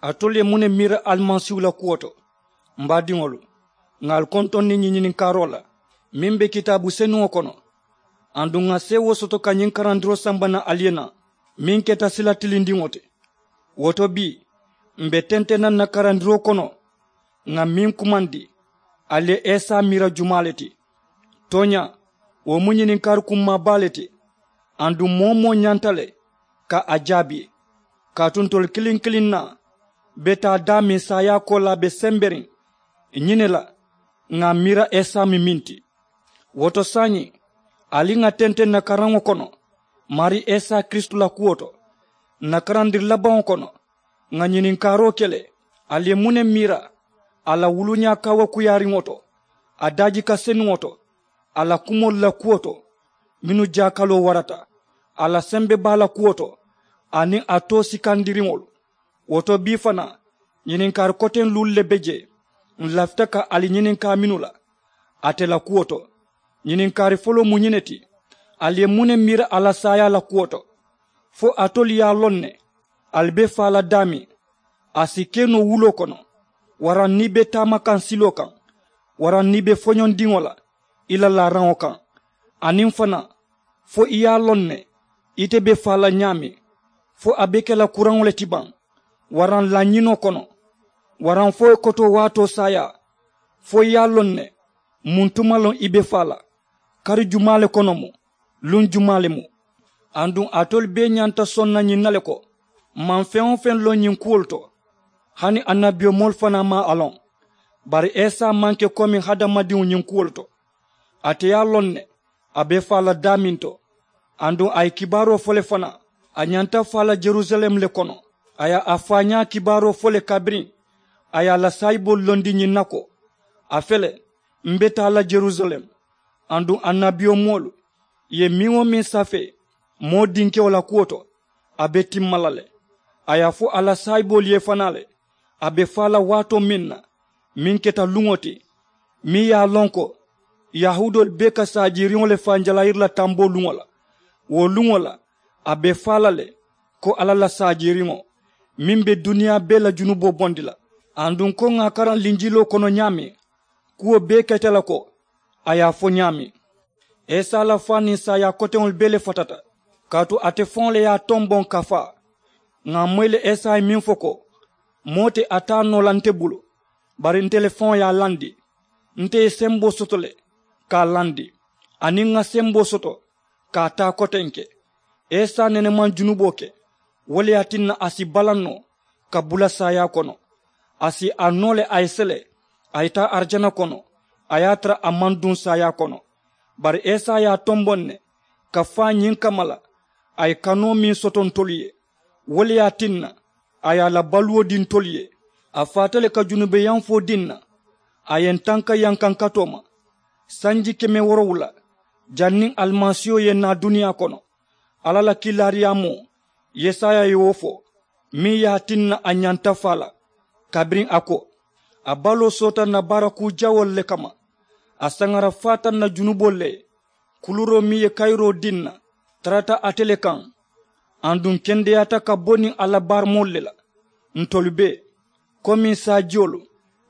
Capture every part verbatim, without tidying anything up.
Alitolu ye muŋ ne miira alimasiihu la kuwo to? M baadiŋolu, ŋà ali kontondi ñiŋ ñininkaaroo la meŋ be kitaabu senuŋo kono. Aduŋ ŋà seewoo soto ka ñiŋ karandiroo samba naŋ ali ye naŋ meŋ keta sila tilindiŋo ti. Wo to bii, m be tenteŋ na n na karandiroo kono ŋà meŋ kumandi, ali ye isa miira jumaa le ti? Tooñaa, wo mu ñininkaari kummaa baa le ti. Aduŋ moo-wo-moo ñanta le ka a jaabi, kaatu ntolu kiliŋ-kiliŋ naa be taa daameŋ saayaa koolaa be semberiŋ ñiŋ ne la. Ŋà a miira isa mu meŋ ti. Wo to saayiŋ, ali ŋà tenteŋ n na karaŋo kono maarii isa kiristu la kuwo to. N na karandiri labaŋo kono, ŋà ñininkaaroo ke le, ali ye muŋ ne miira a la wuluñaa kaawakuyaariŋo to, a daajika senuŋo to, a la kumoolu la kuwo to, mennu jaakaloo warata, a la sembebaa la kuwo to, aniŋ a too sikandiriŋolu? Wo to bii fanaa, ñininkaari koteŋ luulu le be jee m lafita ka ali ñininkaa mennu la ate la kuwo to. Ñininkaari foloo mu ñiŋ ne ti, ali ye muŋ ne miira a la saayaa la kuwo to? Fo alitolu ye a loŋ ne ali be faa la daameŋ a si ke noo wuloo kono, waraŋ niŋ i be taama kaŋ siloo kaŋ, waraŋ niŋ i be foñondiŋo la i la laaraŋo kaŋ? Aniŋ fanaa, fo i ye a loŋ ne ite be faa la ñaameŋ, fo a be ke la kuraŋo le ti baŋ, waraŋ lañinoo kono, waraŋ fo i kotoo waatoo saayaa? Fo i ye a loŋ ne muŋ tuma loŋ i be faa la, kari jumaa le kono mu, luŋ jumaa le mu? Aduŋ alitolu bee ñanta soŋ na ñiŋ na le ko m maŋ feŋ-wo-feŋ loŋ ñiŋ kuwolu to. Hani annabiyomoolu fanaa maŋ a loŋ. Bari isa maŋ ke komi hadamadiŋo ñiŋ kuwolu to. Ate ye a loŋ ne a be faa la daameŋ to. Aduŋ a ye kibaaroo fo le fanaa, a ñanta faa la yerusalem le kono. A ye a faañaa kibaaroo fo le kabiriŋ a ye a la saayiboolu londi ñiŋ na ko, a fele, m be taa la yerusalem, aduŋ annabiyomoolu ye meŋ-wo-meŋ safee moo dinkewo la kuwo to, a be timma la le. A ye a fo a la saayiboolu ye fanaa le, a be faa la waatoo meŋ na, meŋ keta luŋo ti, meŋ ye a loŋ ko yahuudoolu bee ka saajiiriŋo le fanjalayiri la tamboo luŋo la. Wo luŋo la a be faa la le, ko alla la saajiiriŋo meŋ be duniyaa bee la junuboo bondi la. Aduŋ ko ŋà a karaŋ linjiloo kono ñaameŋ, kuwo bee keta la ko a ye a fo ñaameŋ. Isa la faa niŋ saayaa koteŋolu bee le fatata, kaatu ate faŋo le ye a tomboŋ ka faa. Ŋà a moyi le isa ye meŋ fo ko, moo te a taa noo la nte bulu, bari nte le faŋo ye a landi. Nte ye semboo soto le ka a landi, aniŋ ŋà semboo soto ka a taa kotenke. Isa nene maŋ junuboo ke, wo le ye a tinna a si balaŋ noo ka bula saayaa kono. A si a noo le a ye sele, a ye taa arijana kono, a ye a tara a maŋ duŋ saayaa kono. Bari isa ye a tomboŋ ne ka faa ñiŋ kamma la, a ye kanoo meŋ soto ntolu ye, wo le ye a tinna a ye a la baluwo dii ntolu ye. A faata le ka junubeyanfoo dii ǹ na, a ye ǹ tanka yankankatoo ma sanji keme woorowula, janniŋ alimasiiho ye naa duniyaa kono. Alla la kiilaariyaamoo, yesaya ye wo fo, meŋ ye a tinna a ñanta faa la, kabiriŋ a ko, a baloo soota ǹ na baara kuu jawoolu le kamma. A saŋara faata ǹ na junuboolu le ye. Kuluuroo meŋ ye kayiroo dii ǹ na, tarata ate le kaŋ. Aduŋ ǹ kendeyaata ka bo niŋ a la baaramoolu le la. Ntolu bee, komiŋ saajiyolu,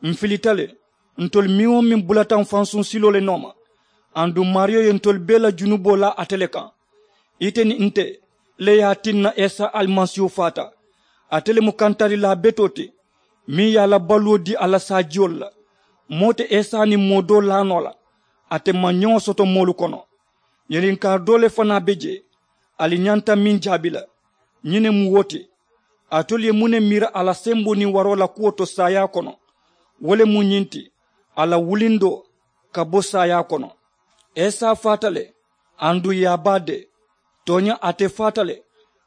m̀ filita le. Ntolu meŋ-wo-meŋ bulata m̀ fansuŋ siloo le nooma. Aduŋ maariyo ye ntolu bee la junuboo laa ate le kaŋ. Ite niŋ nte le ye a tinna isa alimasiihu faata. Ate le mu kantarilaa betoo ti, meŋ ye a la baluwo dii a la saajiyolu la. Moo te isa niŋ moo doo laa noo la, a te maŋ ñoŋo soto moolu kono. Ñininkaari doo le fanaa be jee, ali ñanta meŋ jaabi la. Ñiŋ ne mu wo ti, alitolu ye muŋ ne miira a la semboo niŋ waroo la kuwo to saayaa kono? Wo le mu ñiŋ ti, a la wulindoo ka bo saayaa kono. Isa faata le, aduŋ ì ye a baa dee. Tooñaa, ate faata le,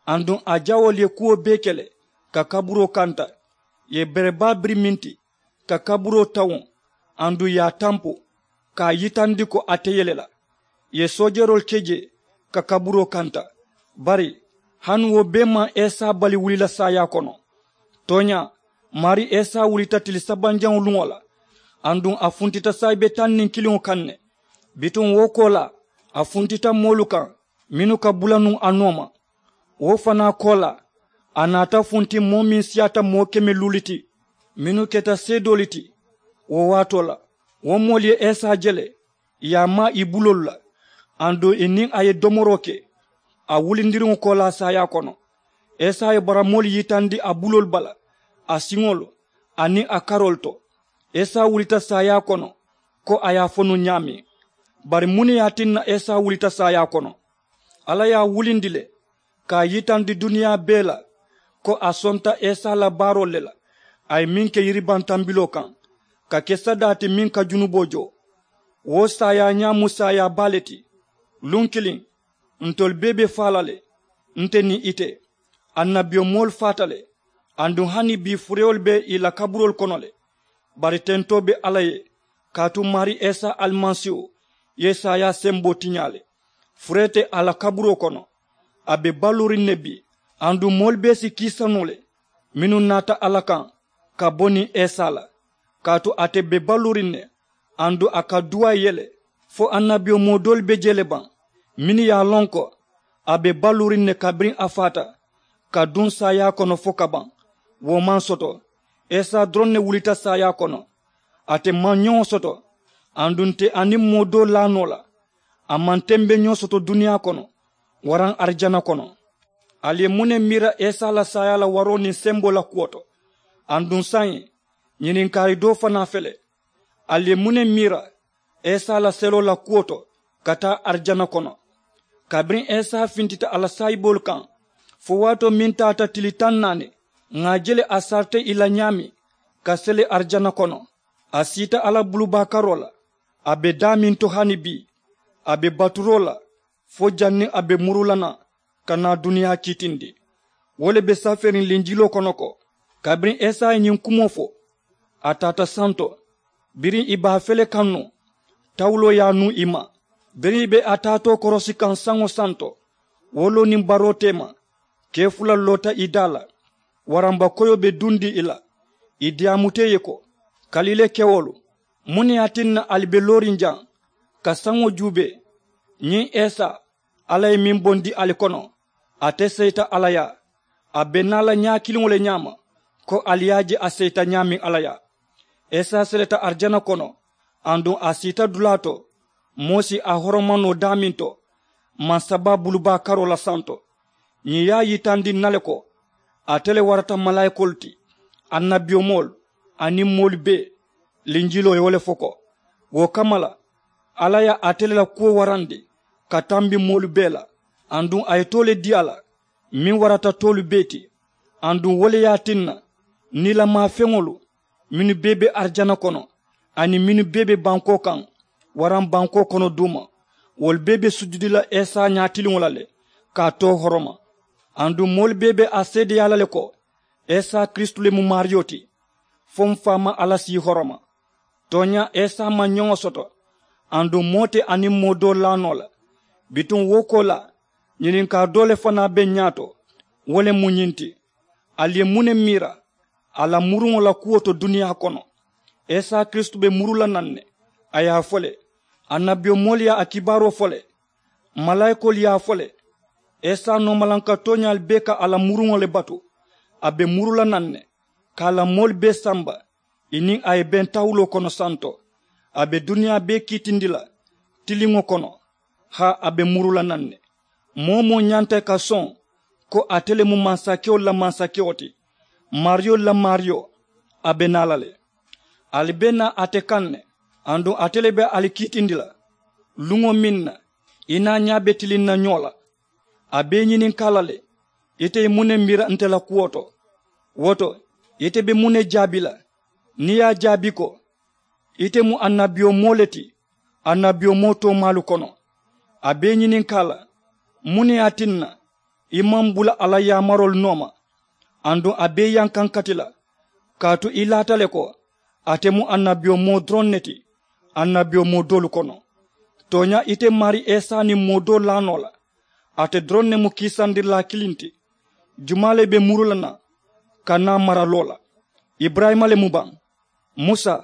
aduŋ a jawoolu ye kuwo bee ke le ka kaburoo kanta. Ì ye bere baa biri meŋ ti ka kaburoo tawuŋ, aduŋ ì ye a tampu ka a yitandi ko ate ye le la. Ì ye soojeroolu ke jee ka kaburoo kanta. Bari hani wo bee maŋ isa bali wuli la saayaa kono. Tooñaa, maarii isa wulita tili sabanjaŋo luŋo la, aduŋ a funtita saayibe taŋ niŋ kiliŋo kaŋ ne. Bituŋ wo koolaa, a funtita moolu kaŋ mennu ka bula nuŋ a nooma. Wo fanaa koolaa, A naata funti moo meŋ siyaata moo keme luulu ti mennu keta seedoolu ti. Wo waatoo la wo moolu ye esa je le ì ye a maa ì buloolu la. Aduŋ ì niŋ a ye domoroo ke a wulindiriŋo koolaa saayaa kono. Esa ye baramoolu yitandi a buloolu bala, a siŋolu, aniŋ a karoolu to. Esa wulita saayaa kono ko a ye a fo nuŋ ñaameŋ. Bari muŋ ne ye a tinna esa wulita saayaa kono? Alla ye a wulindi le ka a yitandi duniyaa bee la ko a sonta esa la baaroolu le la. A ye meŋ ke yiribantambiloo kaŋ ka ke sadaa ti meŋ ka junuboo joo. Wo saayaa ñaa mu saayaa baa le ti. Luŋ kiliŋ ntolu bee be faa la le, nte niŋ ite. Annabiyomoolu faata le. Aduŋ hani bii furewolu be ì la kaburoolu kono le. Bari tentoo be alla ye kaatu maarii isa alimasiiwo ye saayaa semboo tiñaa le. Furee te a la kaburoo kono. A be baluuriŋ ne bii. Aduŋ moolu bee si kiisa noo le mennu naata alla kaŋ ka bo niŋ isa la. Kaatu ate be baluuriŋ ne. Aduŋ a ka duwaa ye le fo annabiyomoo doolu be jee le baŋ mennu ye a loŋ ko a be baluuriŋ ne kabiriŋ a faata ka duŋ saayaa kono fo ka baŋ. Wo maŋ soto. Isa doroŋ ne wulita saayaa kono. Ate maŋ ñoŋo soto. Aduŋ nte aniŋ moo doo laa noo la a maŋ tembeñoo soto duniyaa kono waraŋ arijana kono. Ali ye muŋ ne miira isa la saayaa la waroo niŋ semboo la kuwo to? Aduŋ saayiŋ ñininkaari doo fanaa fele. Ali ye muŋ ne miira isa la seloo la kuwo to ka taa arijana kono? Kabiriŋ isa fintita a la saayiboolu kaŋ fo waatoo meŋ taata tili taŋ naani ŋà a je le a sarita ì la ñaameŋ ka sele arijana kono. A siita alla bulubaa karoo la. A be daameŋ to hani bii a be baturoo la fo janniŋ a be muru la naŋ ka naa duniyaa kiitindi. Wo le be safeeriŋ linjiloo kono ko kabiriŋ esa ye ñiŋ kumoo fo a taata santo. Biriŋ ì be a fele kaŋ nuŋ tawuloo ye a nuŋ ì ma. Biriŋ ì be a taatoo korosi kaŋ saŋo santo wo loo niŋ baroo teema kee fula loota ì daa la. Waramba koyoo be dundi ì la. Ì diyaamuta ì ye ko kalile kewolu, muŋ ne ye a tinna ali be looriŋ jaŋ ka saŋo juubee? Ñiŋ esa alla ye meŋ bondi ali kono ate seyita alla yaa. A be naa la ñaa kiliŋo le ñaama ko ali ye a je a seyita ñaameŋ alla yaa. Esa seleta arijana kono aduŋ a siita dulaa to moo si a horoma noo daameŋ to. Mansabaa bulubaa karoo la santo ñiŋ ye a yitandi ǹ na le ko ate le warata malaayikoolu ti, annabiyomoolu, aniŋ moolu bee. Linjiloo ye wo le fo ko wo kamma la alla ye ate le la kuwo warandi ka tambi moolu bee la. Aduŋ a ye too le dii a la meŋ warata toolu bee ti. Aduŋ wo le ye a tinna niilamaa feŋolu mennu bee be arijana kono aniŋ mennu bee be bankoo kaŋ waraŋ bankoo kono duuma wolu bee be sujudi la esa ñaatiliŋo la le ka a too horoma. Aduŋ moolu bee be a seedeyaa la le ko esa kiristu le mu maariyo ti. Fo m faamaa alla si i horoma. Tooñaa esa maŋ ñoŋo soto. Aduŋ moo te a niŋ moo doo laa noo la. Bituŋ wo koolaa ñininkaa doo le fanaa be ǹ ñaato. Wo le mu ñiŋ ti, ali ye muŋ ne miira a la muruŋo la kuwo to duniyaa kono? Esa kiristu be muru la naŋ ne. A ye a fo le annabiyomoolu ye a kibaaroo fo le. Malaayikoolu ye a fo le. Esa noomalanka tooñaalu bee ka a la muruŋo le batu. A be muru la naŋ ne ka a la moolu bee samba. Ì niŋ a ye beŋ tawuloo kono santo. A be duniyaa bee kiitindi la tiliŋo kono. Haa a be muru la naŋ ne. Moo-wo-moo ñanta ì ka soŋ ko ate le mu mansakewo la mansakewo ti, maariyo la maariyo. A be naa la le. Ali be naa ate kaŋ ne. Aduŋ ate le be ali kiitindi la luŋo meŋ na i naa ñaa be tiliŋ na ñoo la. A be i ñininkaa la le, ite ye muŋ ne miira nte la kuwo to? Wo to ite be muŋ ne jaabi la? Niŋ i ye a jaabi ko ite mu annabiyomoo le ti annabiyomoo toomaalu kono. A be i ñininkaa la muŋ ne ye a tinna i maŋ bula a la yaamaroolu nooma? Aduŋ a be i yankankati la kaatu i laata le ko ate mu annabiyomoo doroŋ ne ti annabiyomoo doolu kono. Tooñaa ite maarii isa niŋ moo doo laa noo la. Ate doroŋ ne mu kiisandirilaa kiliŋ ti. Jumaa le be muru la naŋ ka naa maraloo la? Iburayima le mu baŋ, musa,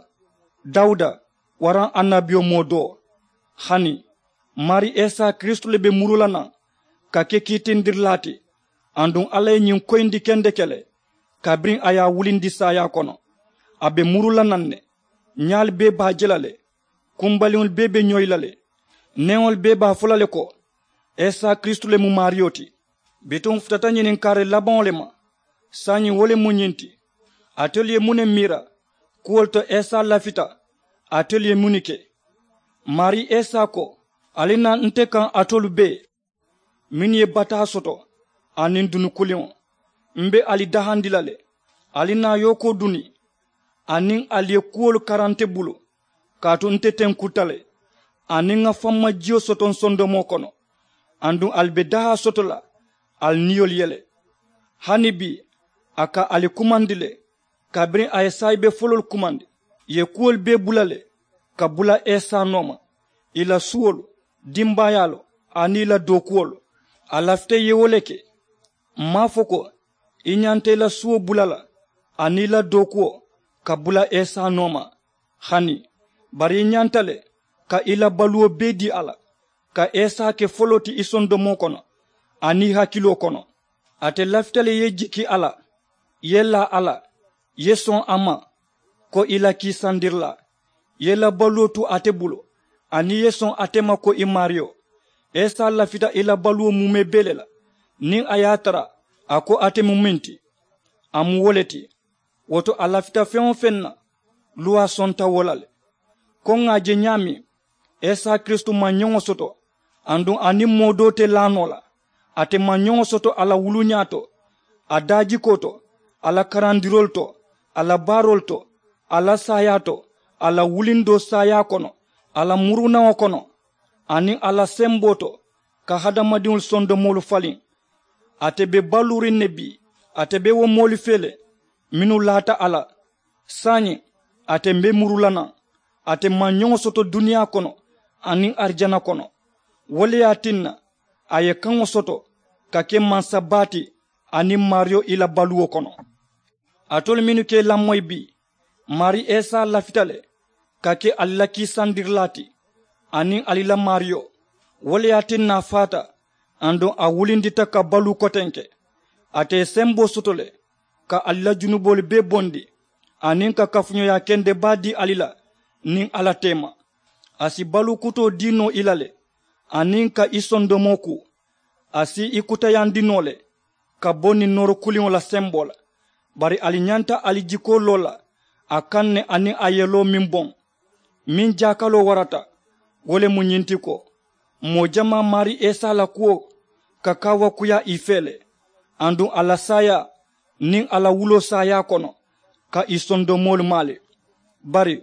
dawuda, waraŋ annabiyomoo doo? Hani, maarii isa kiristu le be muru la naŋ ka ke kiitindirilaa ti. Aduŋ alla ye ñiŋ koyindi kendeke le, kabiriŋ a ye a wulindi saayaa kono. A be muru la naŋ ne. Ñaalu bee be a je la le. Kumbaliŋolu bee be ñoyi la le. Neŋolu bee be a fo la le ko, isa kiristu le mu maariyo ti. Bituŋ futata ñininkaari labaŋo le ma. Saayiŋ wo le mu ñiŋ ti, atelu ye muŋ ne miira? Kuwolu to isa lafita, atelu ye muŋ ne ke? Maarii isa ko, ali naa nte kaŋ, atolu bee mennu ye bataa soto, aniŋ dunu kuliŋo. M be ali dahandi la le. Ali naa yookoo duni, aniŋ ali ye kuwolu kara nte bulu, kaatu nte tenkunta le, aniŋ ŋa fammajiyo soto nsondomoo kono. Aduŋ ali be dahaa soto la, ali niyolu ye le. Hani bii, a ka ali kumandi le, kabiriŋ a ye saayibe foloolu kumandi. Ì ye kuwolu bee bula le, ka bula isa nooma, ì la suwolu, dimbaayaalu, aniŋ ì la dookuwolu. A lafita ì ye wo le ke. M maŋ a fo ko, i ñanta i la suwo bula la, aniŋ i la dookuwo, ka bula isa nooma. Hani, bari i ñanta le ka i la baluwo bee dii a la, ka isa ke foloo ti i sondomoo kono, aniŋ i hakiloo kono. Ate lafita le i ye jiki a la, i ye laa a la, i ye soŋ a ma, ko i la kiisandirilaa, i ye i la baluwo tu ate bulu, aniŋ i ye soŋ ate ma ko i maariyo. Isa lafita i la baluwo muumee bee le la, niŋ a ye a tara a ko ate mu meŋ ti, a mu wo le ti. Wo to, a lafita feŋ-wo-feŋ na, luwaa sonta wo la le. Ko ŋà a je ñaameŋ, isa kiristu maŋ ñoŋo soto, aduŋ a niŋ moo doo te laa noo la. Ate maŋ ñoŋo soto a la wuluñaa to, a daajikoo to, a la karandiroolu to, a la baaroolu to, a la saayaa to, a la wulindoo saayaa kono, a la murunaŋo kono, aniŋ a la semboo to, ka hadamadiŋolu sondomoolu faliŋ. Ate be baluuriŋ ne bii, ate be wo moolu fee le mennu laata a la. Saayiŋ, ate mbe muru la naŋ. Ate maŋ ñoŋo soto duniyaa kono aniŋ arijana kono. Wo le ye a tinna a ye kaŋo soto ka ke mansa baa ti aniŋ maariyo i la baluwo kono. Alitolu mennu ka i lamoyi bii, maarii isa lafita le ka ke ali la kiisandirilaa ti, aniŋ ali la maariyo. Wo le ye a tinna a faata, aduŋ a wulindita ka baluu kotenke. Ate ye semboo soto le ka ali la junuboolu bee bondi, aniŋ ka kafuñoyaa kende baa dii ali la niŋ alla teema. A si baluu kutoo dii noo i la le, aniŋ ka i sondomoo kuu. A si i kutayandi noo le ka bo niŋ nooro kuliŋo la semboo la. Bari ali ñanta ali jikoo loo la a kaŋ ne aniŋ a yeloo meŋ boŋ, meŋ jaakaloo warata. Wo le mu ñiŋ ti ko, moo jamaa maarii isa la kuwo ka kaawakuyaa i fee le, aduŋ a la saayaa niŋ a la wuloo saayaa kono ka ì sondomoolu maa le. Bari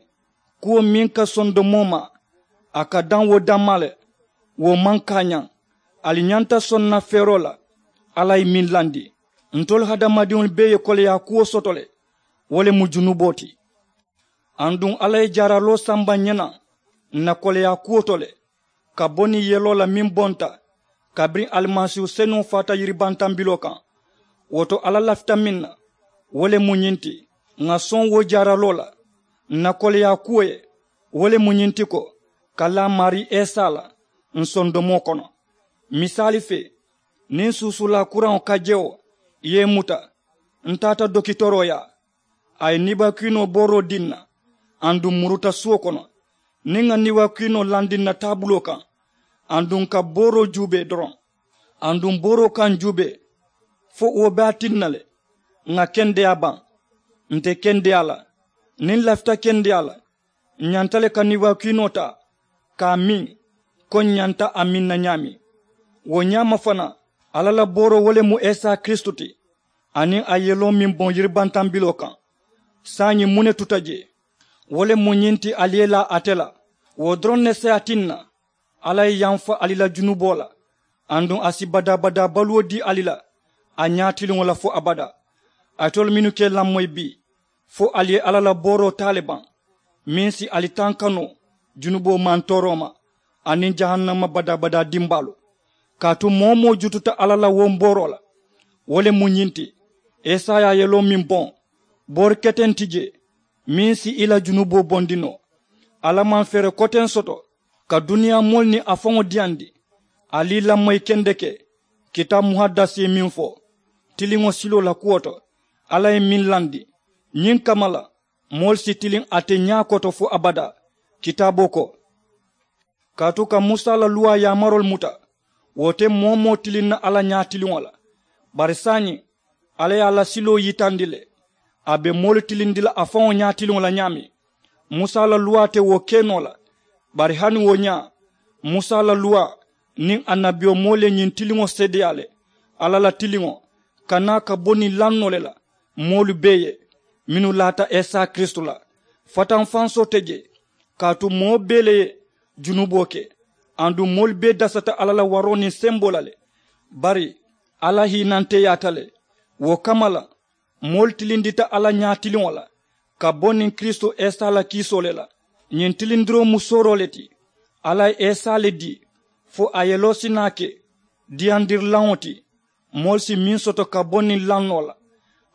kuwo meŋ ka sondomoo maa, a ka daŋ wo dammaa le. Wo maŋ kaañaŋ. Ali ñanta soŋ na feeroo la alla ye meŋ landi. Ntolu hadamadiŋolu bee ye koleyaa kuwo soto le. Wo le mu junuboo ti. Aduŋ alla ye jaaraloo samba ǹ ye naŋ ǹ na koleyaa kuwo to le, ka bo niŋ yeloo la meŋ bonta kabiriŋ alimasiihu senuŋo faata yiribantambiloo kaŋ. Wo to alla lafita meŋ na, wo le mu ñiŋ ti, ŋà soŋ wo jaaraloo la ǹ na koleyaa kuwo ye. Wo le mu ñiŋ ti ko, ka laa maarii isa la ǹ sondomoo kono. Misaali fee, niŋ suusuulaa kuraŋo ka jewo ye i muta, ǹ taata dokitoroo yaa. A ye niibakiinoo booroo dii ǹ na, aduŋ ǹ muruta suwo kono. Niŋ ŋà niibakiinoo landi ǹ na taabuloo kaŋ, aduŋ ǹ ka booroo juubee doroŋ, aduŋ booroo ka ǹ juubee fo wo be a tinna le ŋà kendeyaa baŋ. Nte kendeyaa la, niŋ ǹ lafita kendeyaa la, ǹ ñanta le ka niibakiinoo taa ka a miŋ, ko ǹ ñanta a miŋ na ñaameŋ. Wo ñaama fanaa, alla la booroo wo le mu isa kiristu ti, aniŋ a yeloo meŋ boŋ yiribantambiloo kaŋ. Saayiŋ muŋ ne tuta jee? Wo le mu ñiŋ ti, ali ye laa ate la. Wo doroŋ ne si a tinna alla ye yamfa ali la junuboo la, aduŋ a si badaa-badaa baluwo dii ali la, a ñaatiliŋo la fo abadaa. Alitolu mennu ka i lamoyi bii, fo ali ye alla la booroo taa le baŋ, meŋ si ali tanka noo junuboo mantooroo ma aniŋ jahannama badaa-badaa dimbaalu. Kaatu moo-wo-moo jututa alla la wo booroo la. Wo le mu ñiŋ ti, esaya yeloo meŋ boŋ, boori keteŋ ti jee meŋ si i la junuboo bondi noo. Alla maŋ feere koteŋ soto ka duniyaa moolu niŋ a faŋo diyandi. Ali i lamoyi kendeke kitaabu muhaddasi ye meŋ fo, tiliŋo siloo la kuwo to. Alla ye meŋ landi ñiŋ kamma la, moolu si tiliŋ ate ñaa koto fo abadaa. Kitaaboo ko, kaatu ka musa la luwaa yaamaroolu muta, wo te moo-wo-moo tiliŋ na alla ñaatiliŋo la. Bari saayiŋ, alla ye a la siloo yitandi le. A be moolu tilindi la a faŋo ñaatiliŋo la ñaameŋ. Musa la luwaa te wo ke noo la. Bari hani wo ñaa, musa la luwaa niŋ annabiyomoolu ye ñiŋ tiliŋo seedeyaa le. Alla la tiliŋo ka naa ka bo niŋ lannoo le la moolu bee ye, mennu laata isa kiristu la. Fatanfansoo te jee, kaatu moo bee le ye junuboo ke. Aduŋ moolu bee dasata alla la waroo niŋ semboo la le. Bari alla hiinanteyaata le. Wo kamma la, moolu tilindita alla ñaatiliŋo la ka bo niŋ kiristu isa la kiisoo le la. Ñiŋ tilindiroo mu sooroo le ti. Alla ye isa le dii fo a ye loosinaa ke diyandirilaŋo ti. Moolu si meŋ soto ka bo niŋ lannoo la,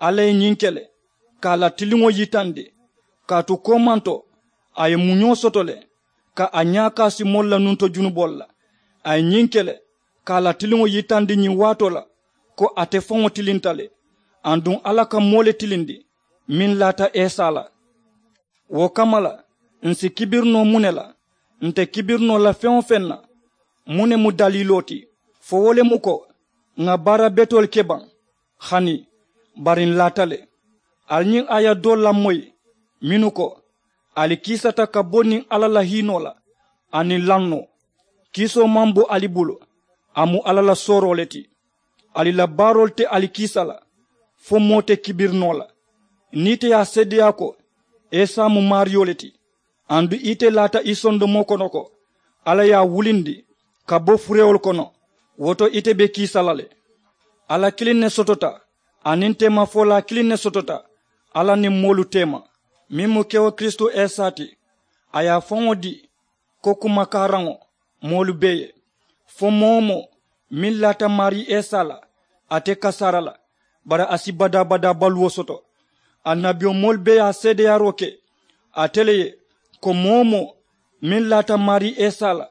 alla ye ñiŋ ke le ka a la tiliŋo yitandi. Kaatu koomanto, a ye muñoo soto le ka a ñaakaa si moolu la nunto junuboolu la. A ye ñiŋ ke le ka a la tiliŋo yitandi ñiŋ waatoo la ko ate faŋo tilinta le. Aduŋ alla ka moo le tilindi meŋ laata isa la. Wo kamma la, ǹ si kibiri noo muŋ ne la? Nte kibiri noo la feŋ-wo-feŋ na, muŋ ne mu daliiloo ti? Fo wo le mu ko, ŋà baara betoolu ke baŋ? Hani, bari ǹ laata le. Ali ñiŋ aaya doolu lamoyi, mennu ko, ali kiisata ka bo niŋ alla la hiinoo la aniŋ lannoo. Kiisoo maŋ bo ali bulu, a mu alla la sooroo le ti. Ali la baaroolu te ali kiisa la, fo moo te kibiri noo la. Niŋ ite ye a seedeyaa ko isa mu maariyo le ti, aduŋ ite laata i sondomoo kono ko alla ye a wulindi ka bo furewolu kono, wo to ite be kiisa la le. Alla kiliŋ ne sotota, aniŋ teemafolaa kiliŋ ne sotota alla niŋ moolu teema, meŋ mu kewo kiristu isa ti. A ye a faŋo dii ko kumakaaraŋo moolu bee ye. Fo moo-wo-moo meŋ laata maarii isa la, ate kasaara la, bari a si badaa-badaa baluwo soto. Annabiyomoolu bee ye a seedeyaaroo ke ate le ye, ko moo-wo-moo meŋ laata maarii isa la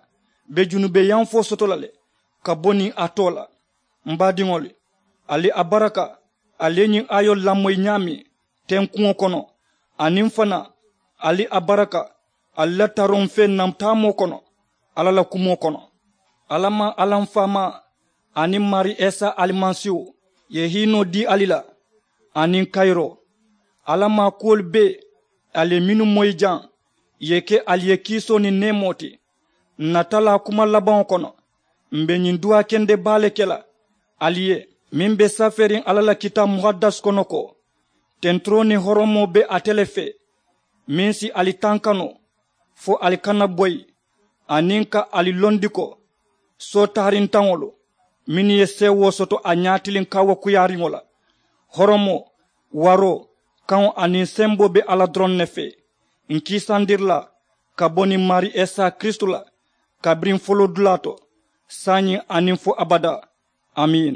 be junubeyanfoo soto la le ka bo niŋ a too la. M baadiŋolu, ali a baraka, ali ye ñiŋ aayoolu lamoyi ñaameŋ tenkuŋo kono, aniŋ fanaa, ali a baraka ali la taroŋ feŋ na taamoo kono alla la kumoo kono. Alla maŋ alla m faamaa aniŋ maarii isa alimasiiwo ye hiinoo dii ali la, aniŋ kayiroo. Alla maakuwolu bee, ali ye mennu moyi jaŋ, ì ye ke ali ye kiisoo niŋ neemoo ti. Ǹ na talaa kuma labaŋo kono, m̀ be ñiŋ duwaa kende baa le ke la ali ye, meŋ be safeeriŋ alla la kitaabu muhadasi kono ko, tenturoo niŋ horomoo be ate le fee, meŋ si ali tankanoo fo ali kana boyi, aniŋ ka ali londi ko sootarintaŋolu mennu ye seewoo soto a ñaatiliŋ kaawakuyaariŋo la. Horomoo, waroo, kaŋo aniŋ semboo be alla doroŋ ne fee. Ǹ kiisandiri la ka bo niŋ maarii isa kiristu la, kabiriŋ foloodulaa to, saayiŋ aniŋ fo abadaa. Amiin.